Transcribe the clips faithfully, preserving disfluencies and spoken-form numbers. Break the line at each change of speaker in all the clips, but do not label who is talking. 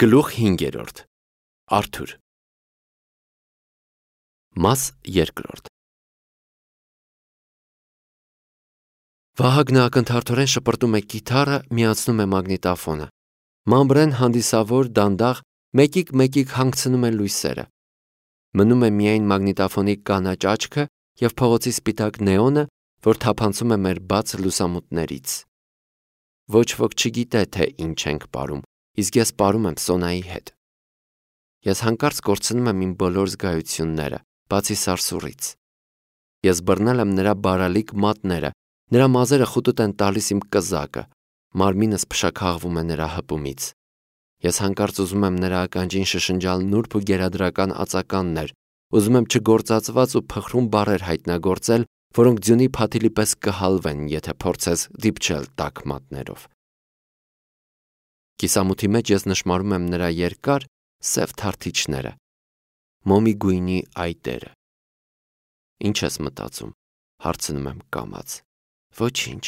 Գլուխ հինգերորդ Արթուր Մաս երկրորդ Վահագնը ակնթարթորեն շպրտում է կիթառը, միացնում է մագնիտոֆոնը։ Մամբրեն հանդիսավոր դանդաղ մեկիկ-մեկիկ հանգցնում է լույսերը։ Մնում է միայն մագնիտոֆոնի կանաչ աչքը և փողոցի սպիտակ նեոնը, որ թափանցում է մեր բաց լուսամուտներից։ Ոչ ոք չգիտե, թե ինչ ենք պարում, իսկ ես պարում եմ Սոնայի հետ։ Ես հանկարծ կորցնում եմ իմ բոլոր զգայությունները, բացի սարսուռից։ Ես բռնել եմ նրա բարալիկ մատները, նրա մազերը խուտուտ են տալիս իմ կզակը, մարմինս փշաքաղվում է նրա հպումից։ Ես հանկարծ ուզում եմ նրա ականջին շշնջալ նուրբ ու գերադրական ածականներ, ուզում եմ չգործածված ու փխրուն բառեր հայտնագործել, որոնք ձյունի փաթիլի պես կհալվեն, եթե փորձես դիպչել տաք մատներով։ Կիսամութի մեջ ես նշմարում եմ նրա երկար, սև թարթիչները, մոմի գույնի այտերը։ Ինչ ես մտածում, հարցնում եմ կամաց։ Ոչինչ,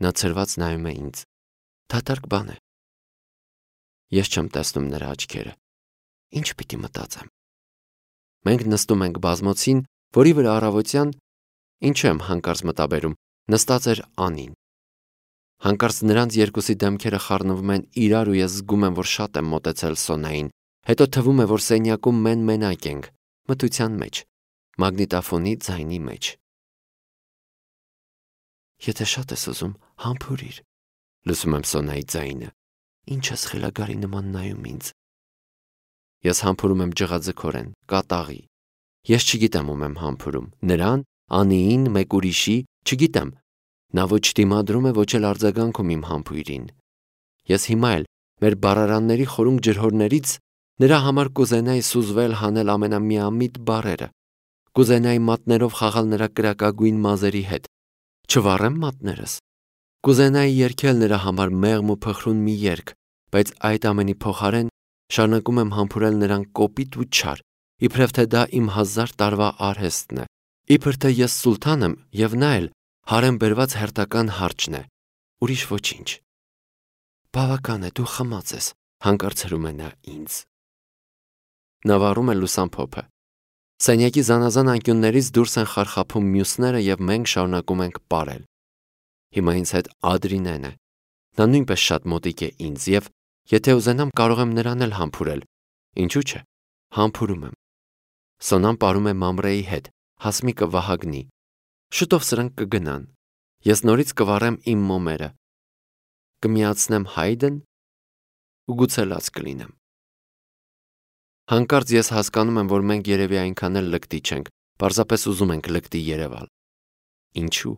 նա ցրված նայում է ինձ։ Դատարկ բան է։ Ես չեմ տեսնում նրա աչքերը։ Ինչ պիտի մտածեմ։ Մենք նստում ենք բազմոցին, որի վրա առավոտյան, ինչու եմ հանկարծ մտաբերում, նստած էր Անին։ Հանկարծ նրանց երկուսի դեմքերը խառնվում են իրար ու ես զգում եմ, որ շատ եմ մոտեցել Սոնային, հետո թվում է, որ սենյակում մեն-մենակ ենք, մթության մեջ, մագնիտոֆոնի ձայնի մեջ։ Եթե շատ ես ուզում, համբուրիր, լսում եմ Սոնայի ձայնը, ինչ ես խելագարի նման նայում ինձ։ Ես համբուրում եմ ջղաձգորեն, կատաղի։ Ես չգիտեմ ում եմ համբուրում, նրան, Անիին, մեկ ուրիշի, չգիտեմ։ Նա ոչ դիմադրում է, ոչ էլ արձագանքում իմ համբույրին։ Ես հիմա էլ մեր բառարանների խորունկ ջրհորներից նրա համար կուզենայի սուզվել հանել ամենամիամիտ բառերը, կուզենայի մատներով խաղալ նրա կրակագույն մազերի հետ, չվառեմ մատներս, կուզենայի երգել նրա համար մեղմ ու փխրուն մի երգ, բայց այդ ամենի փոխարեն շարունակում եմ համբուրել նրան կոպիտ ու չար, իբրև թե դա իմ հազար տարվա արհեստն է, իբր թե ես սուլթան եմ և նա էլ հարեմ բերված հերթական հարճն է, ուրիշ ոչինչ։ Բավական է, դու խմած ես, հանկարծ հրում է նա ինձ։ Նա վառում է լուսամփոփը։ Սենյակի զանազան անկյուններից դուրս են խարխափում մյուսները և մենք շարունակում ենք պարել։ Հիմա ինձ հետ Ադրինեն է։ Նա նույնպես շատ մոտիկ է ինձ և եթե ուզենամ կարող եմ նրան էլ համբուրել։ Ինչու՞ չէ։ Համբուրում եմ։ Սոնան պարում է Մամրեի հետ, Հասմիկը Վահագնի։ Շուտով սրանք կգնան։ Ես նորից կվառեմ իմ մոմերը։ Կմիացնեմ Հայդն ու գուցե լաց կլինեմ։ Հանկարծ ես հասկանում եմ, որ մենք երևի այնքան էլ լկտի չենք, պարզապես ուզում ենք լկտի երևալ։ Ինչու՞։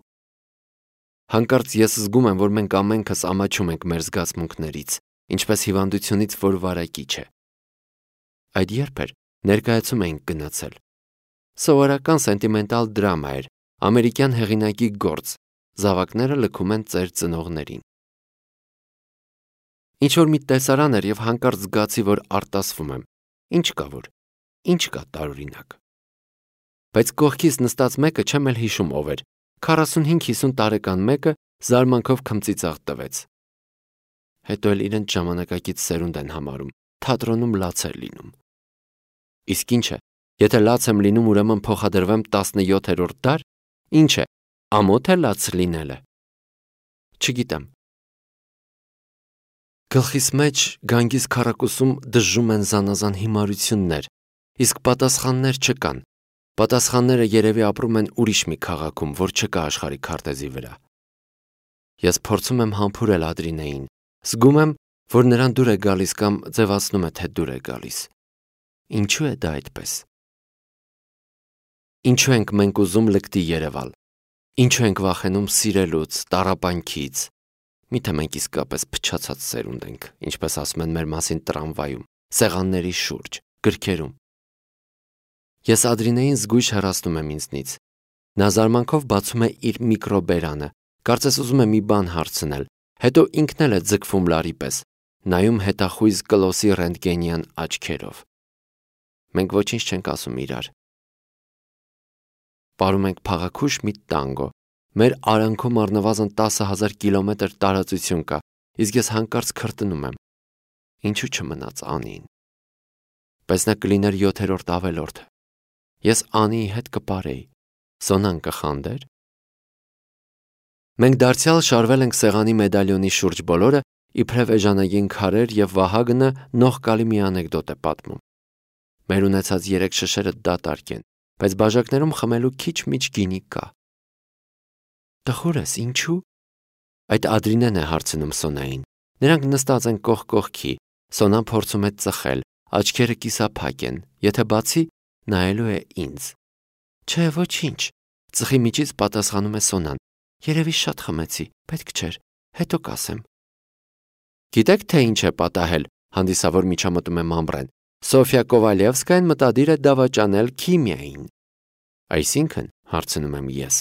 Հանկարծ ես զգում եմ, որ մենք ամենքս ամաչում ենք մեր զգացմունքներից, ինչպես հիվանդությունից, որ վարակիչ է։ Այդ երբ էր, ներկայացում էինք գնացել։ Սովորական սենտիմենտալ դրամա էր, ամերիկյան հեղինակի գործ, զավակները լքում են ծեր ծնողներին։ Ինչ-որ մի տեսարան էր և հանկարծ զգացի, որ արտասվում եմ։ Ինչ կա որ, ինչ կա տարօրինակ։ Բայց կողքիս նստած մեկը չեմ էլ հիշում ով էր, քառասունհինգ-հիսուն տարեկան մեկը զարմանքով քմծիծաղ տվեց։ Հետո էլ իրենց ժամանակակից սերունդ են համարում, թատրոնում լաց էր լինում։ Իսկ ինչ է, եթե լաց եմ լինում, ուրեմն փոխադրվեմ տասնյոթերորդ դար, ինչ է, ամոթ է լաց լինելը։ Չգիտեմ։ Գլխիս մեջ գանգիս քառակուսում դժժում են զանազան հիմարություններ, իսկ պատասխաններ չկան։ Պատասխանները երևի ապրում են ուրիշ մի քաղաքում, որ չկա աշխարհի քարտեզի վրա։ Ես փորձում եմ համբուրել Ադրինեին, զգում եմ, որ նրան դուր է գալիս կամ ձևացնում է, թե դուր է գալիս։ Ինչու է դա այդպես։ Ինչու ենք մենք ուզում լկտի երևալ։ Ինչու ենք վախենում սիրելուց, տառապանքից։ Միթե մենք իսկապես փչացած սերունդ ենք, ինչպես ասում են մեր մասին տրամվայում, սեղանների շուրջ, գրքերում։ Ես Ադրինեին զգույշ հեռացնում եմ ինձնից։ Նա զարմանքով բացում է իր միկրոբերանը, կարծես ուզում է մի բան հարցնել, հետո ինքն էլ է ձգվում լարի պես, նայում հետախույզ կլոսի ռենտգենյան աչքերով։ Մենք ոչինչ չենք ասում իրար։ Պարում ենք փաղաքուշ մի տանգո։ Մեր արանքում առնվազն տասը հազար կիլոմետր տարածություն կա, իսկ ես հանկարծ քրտնում եմ։ ինչու չմնաց Անին։ Բայց նա կլիներ յոթերորդ ավելորդը։ Ես Անիի հետ կպարեի, Սոնան կխանդեր։ Մենք դարձյալ շարվել ենք սեղանի մեդալյոնի շուրջ բոլորը, իբրև էժանագին քարեր, եւ Վահագնը նողկալի մի անեկդոտ է պատմում։ Մեր ունեցած երեք շշերը դատարկ են, բայց բաժակներում խմելու քիչ-միչ գինի կա։ Տխուր ես, ինչու՞։ Այդ Ադրինեն է հարցնում Սոնային։ Նրանք նստած են կողք կողքի, Սոնան փորձում է ծխել, աչքերը կիսափակ են, եթե բացի, նայելու է ինձ։ Չէ, ոչինչ, ծխի միջից պատասխանում է Սոնան։ Երևի շատ խմեցի, պետք չէր, հետո կասեմ։ Գիտեք, թե ինչ է պատահել, հանդիսավոր միջամտում է Մամբրեն։ Սոֆիա Կովալևսկայան մտադիր է դավաճանել քիմիային։ Այսինքն, հարցնում եմ ես։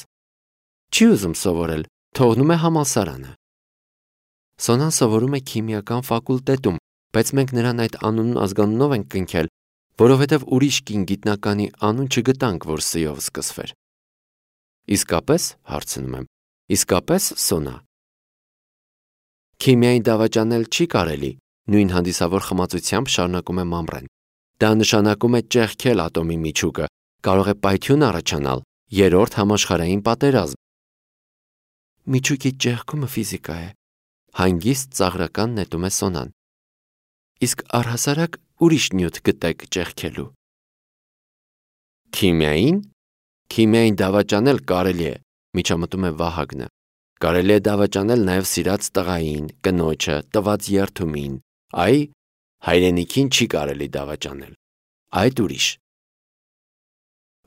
Չի ուզում սովորել, թողնում է համալսարանը։ Սոնան սովորում է քիմիական ֆակուլտետում, բայց մենք նրան այդ անունն ազգանունով ենք կնքել, որովհետև ուրիշ կին գիտնականի անուն չգտանք, որ Ս-ով սկսվեր։ Իսկապես, հարցնում եմ, իսկապես Սոնա։ Քիմիային դավաճանել չի կարելի, նույն հանդիսավոր խմացությամբ շարունակում է Մամբրեն։ Դա նշանակում է ճեղքել ատոմի միջուկը, կարող է պայթյուն առաջանալ, երրորդ համաշխարհային պատերազմ։ Միջուկի ճեղքումը ֆիզիկա է, հանգիստ ծաղրական նետում է Սոնան։ Իսկ առհասարակ ուրիշ նյութ գտեք ճեղքելու։ Քիմիային։ Քիմիային դավաճանել կարելի է, միջամտում է Վահագնը։ Կարելի է դավաճանել նաև սիրած տղային, կնոջը, տված երթումին։ Այ, հայրենիքին չի կարելի դավաճանել։ Այդ ուրիշ։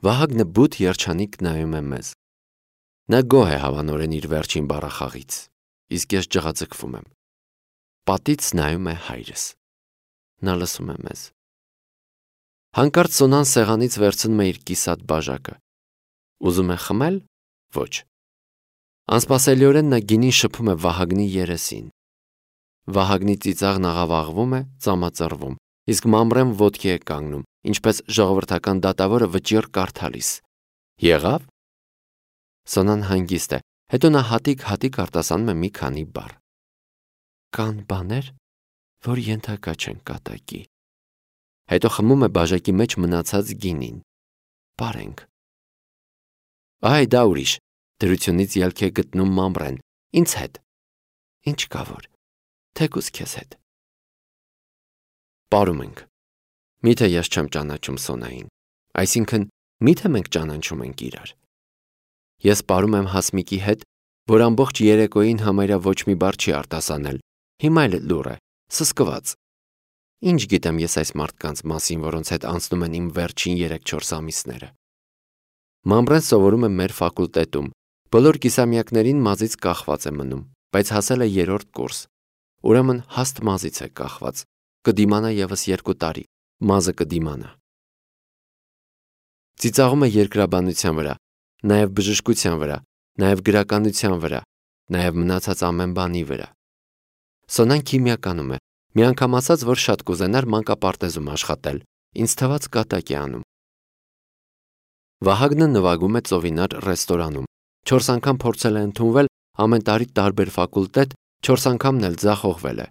Վահագնը բութ երջանիկ նայում է մեզ։ Նա գոհ է հավանորեն իր վերջին բառախաղից, իսկ ես ջղաձգվում եմ։ Պատից նայում է հայրս։ Նա լսում է մեզ։ Հանկարծ Սոնան սեղանից վերցնում է իր կիսատ բաժակը։ Ուզում է խմել։ Ոչ։ Անսպասելիորեն նա գինին շփում է Վահագնի երեսին։ Վահագնի ծիծաղն աղավաղվում է, ծամածռվում, իսկ Մամբրեն ոտքի է կանգնում, ինչպես ժողովրդական դատավորը վճիռ կարդալիս։ Եղավ։ Սոնան հանգիստ է, հետո նա հատիկ-հատիկ արտասանում է մի քանի բառ։ Կան բաներ, որ ենթակա չեն կատակի։ Հետո խմում է բաժակի մեջ մնացած գինին։ Բարենք։ Այ դա ուրիշ, դրությունից ելք է գտնում Մամբրեն։ Ինձ հետ։ Ինչ կա որ, թեկուզ քեզ հետ։ Պարում ենք։ Միթե ես չեմ ճանաչում Սոնային, այսինքն միթե մենք ճանաչում ենք իրար։ Ես պարում եմ Հասմիկի հետ, որ ամբողջ երեկոյին համարյա ոչ մի բառ չի արտասանել, հիմա էլ լուռ է, սսկված։ Ինչ գիտեմ ես այս մարդկանց մասին, որոնց հետ անցնում են իմ վերջին երեք-չորս ամիսները։ Մամբրեն սովորում է մեր ֆակուլտետում, բոլոր կիսամյակներին մազից կախված է մնում, բայց հասել է երրորդ կուրս, ուրեմն հաստ մազից է կախված, կդիմանա ևս երկու տարի, մազը կդիմանա։ Ծիծաղում է երկրաբանության վրա, նաև բժշկության վրա, նաև գրականության վրա, նաև մնացած ամեն բանի վրա։ Սոնան քիմիականում է, մի անգամ ասաց, որ շատ կուզենար մանկապարտեզում աշխատել, ինձ թվաց կատակ է անում։ Վահագնը նվագում է ծովինար ռեստորանում, չորս անգամ փորձել է ընդունվել ամեն տարի տարբեր ֆակուլտետ, չորս անգամն էլ ձախողվել է։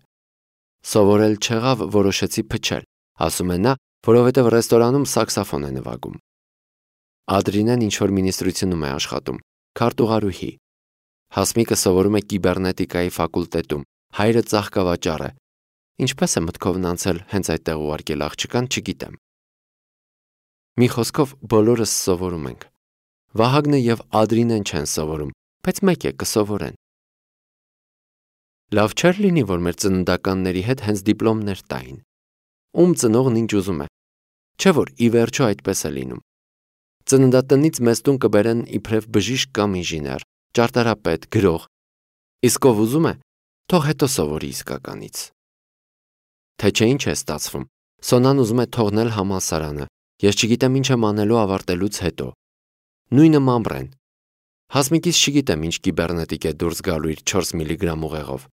Սովորել չեղավ, որոշեցի փչել, ասում է նա, որովհետև ռեստորանում սաքսոֆոն է նվագում։ Ադրինեն ինչ-որ մինիստրությունում է աշխատում, քարտուղարուհի։ Հասմիկը սովորում է կիբեռնետիկայի ֆակուլտետում, հայրը ծաղկավաճառ է։ Ինչպես է մտքովն անցել հենց այդտեղ ուղարկել աղջկան, չգիտեմ։ Մի խոսքով բոլորս սովորում ենք։ Վահագնը եւ Ադրինեն չեն սովորում, բայց մեկ է կսովորեն։ Լավ չէր լինի, որ մեր ծննդականների հետ հենց դիպլոմներ տային։ Ում ծնողն ինչ ուզում է։ Չէ՞ որ ի վերջո այդպես է լինում։ Ծննդատնից մեզ տուն կբերեն իբրև բժիշկ կամ ինժեներ, ճարտարապետ, գրող։ Իսկ ով ուզում է, թող հետո սովորի իսկականից։ Թե չէ ինչ է ստացվում։ Սոնան ուզում է թողնել համալսարանը։ Ես չգիտեմ ինչ եմ անելու ավարտելուց հետո։ Նույնը Մամբրեն։ Հասմիկից չգիտեմ ինչ կիբեռնետիկ է դուրս գալու իր չորս միլիգրամ ուղեղով։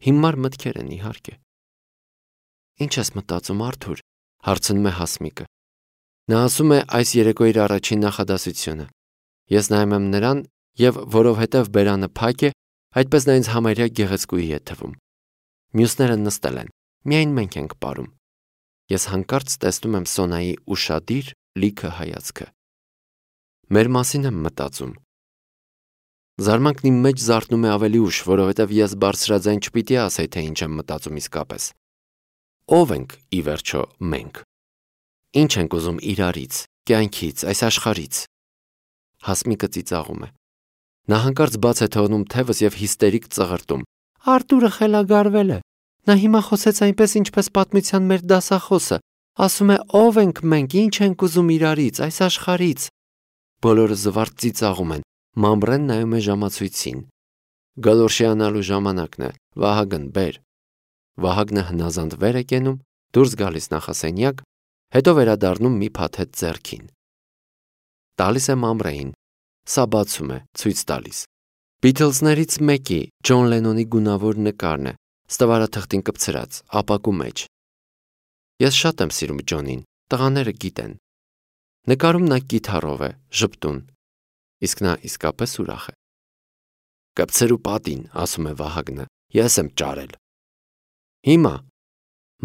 Հիմար մտքեր են իհարկե։ Ինչ ես մտածում, Արթուր, հարցնում է Հասմիկը։ Նա ասում է այս երեկո իր առաջին նախադասությունը։ Ես նայում եմ նրան եւ որովհետեւ բերանը փակ է, այդպես նա ինձ համարյա գեղեցկուհի է թվում։ Մյուսները նստել են։ միայն մենք ենք ապարում։ Ես հանկարծ տեսնում եմ Սոնայի ուշադիր, լիքը հայացքը։ Մեր մասին եմ մտածում։ Զարմանքն իմ մեջ զարթնում է ավելի ուշ, որովհետև ես բարձրաձայն չպիտի ասեի, թե ինչ եմ մտածում իսկապես։ Ո՞վ ենք ի վերջո մենք։ Ինչ ենք ուզում իրարից, կյանքից, այս աշխարհից։ Հասմիկը ծիծաղում է։ Նա հանկարծ բաց է թողնում թևս եւ հիստերիկ ծղրտում։ Արտուրը խելագարվել է։ Նա հիմա խոսեց այնպես, ինչպես պատմության մեր դասախոսը։ Ասում է ով ենք մենք, ինչ ենք ուզում իրարից, այս աշխարհից։ Բոլորը զվարթ ծիծաղում են։ Մամբրեն նայում է ժամացույցին։ Գալորշիանալու ժամանակն է։ Վահագն, բեր։ Վահագնը հնազանդ վեր է կենում, դուրս գալիս նախասենյակ, հետո վերադառնում մի փաթեթ ձեռքին։ Տալիս է Մամբրեին։ Սա բացում է, ցույց տալիս։ Բիթլզներից մեկի, Ջոն Լենոնի գունավոր նկարն է, ստվարաթղթին կպցրած, ապակու մեջ։ Ես շատ եմ սիրում Ջոնին, տղաները գիտեն։ Նկարում նա կիթառով է, ժպտուն, իսկ նա իսկապես ուրախ է։ Կպցրու պատին, ասում է Վահագնը, ես եմ ճարել։ Հիմա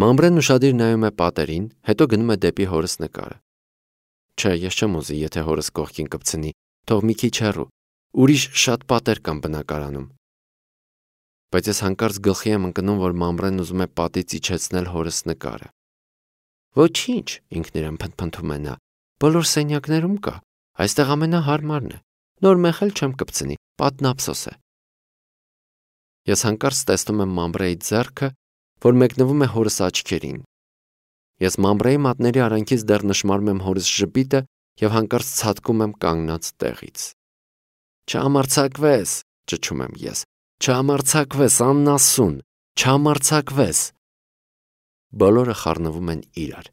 Մամբրեն ուշադիր նայում է պատերին, հետո գնում է դեպի հորս նկարը։ Չէ, ես չեմ ուզի, եթե հորս կողքին կպցնի, թող մի քիչ հեռու, ուրիշ շատ պատեր կան բնակարանում։ Բայց ես հանկարծ գլխի եմ ընկնում, որ Մամբրեն ուզում է պատից իջեցնել հորս նկարը։ Ոչինչ, ինքն իրեն փնթփնթում է նա, բոլոր սենյակներում կա, այստեղ ամենահարմարն է, նոր մեխել չեմ կպցնի, պատն ափսոս է։ Ես հանկարծ տեսնում եմ Մամբրեի ձեռքը, որ մեկնվում է հորս աչքերին։ Ես Մամբրեի մատների արանքից դեռ նշմարում եմ հորս ժպիտը եւ հանկարծ ցատկում եմ կանգնած տեղից։ Չհամարձակվես, ճչում եմ ես, չհամարձակվես, աննասուն, չհամարձակվես։ Բոլորը խառնվում են իրար։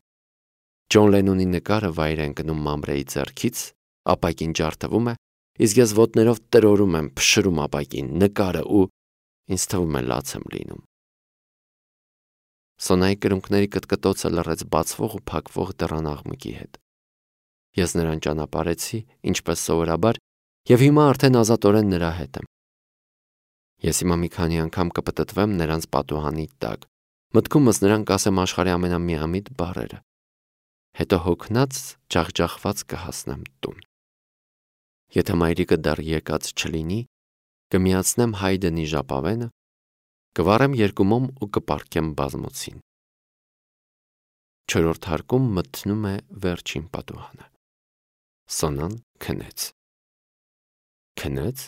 Ջոն Լենոնի նկարը վայր է ընկնում Մամբրեի ձեռքից, ապակին ջարդվում է, իսկ ես ոտներով տրորում եմ, փշրում ապակին, նկարը ու ինձ թվում է լաց եմ լինում։ Սոնայի կրունկների կտկտոցը լռեց բացվող ու փակվող դռան աղմուկի հետ։ Ես նրան ճանապարհեցի, ինչպես սովորաբար, եւ հիմա արդեն ազատորեն նրա հետ եմ։ Ես հիմա մի քանի անգամ կպտտվեմ նրանց պատուհանի տակ, մտքումս նրան կասեմ աշխարհի ամենամիամիտ բառերը։ Հետո հոգնած, ջախջախված կհասնեմ տուն։ Եթե մայրիկը դեռ եկած չլինի, կմիացնեմ Հայդենի ժապավենը, կվառեմ երկու մոմ ու կպառկեմ բազմոցին։ Չորրորդ հարկում մտնում է վերջին պատուհանը։ Սոնան քնեց։ Քնեց։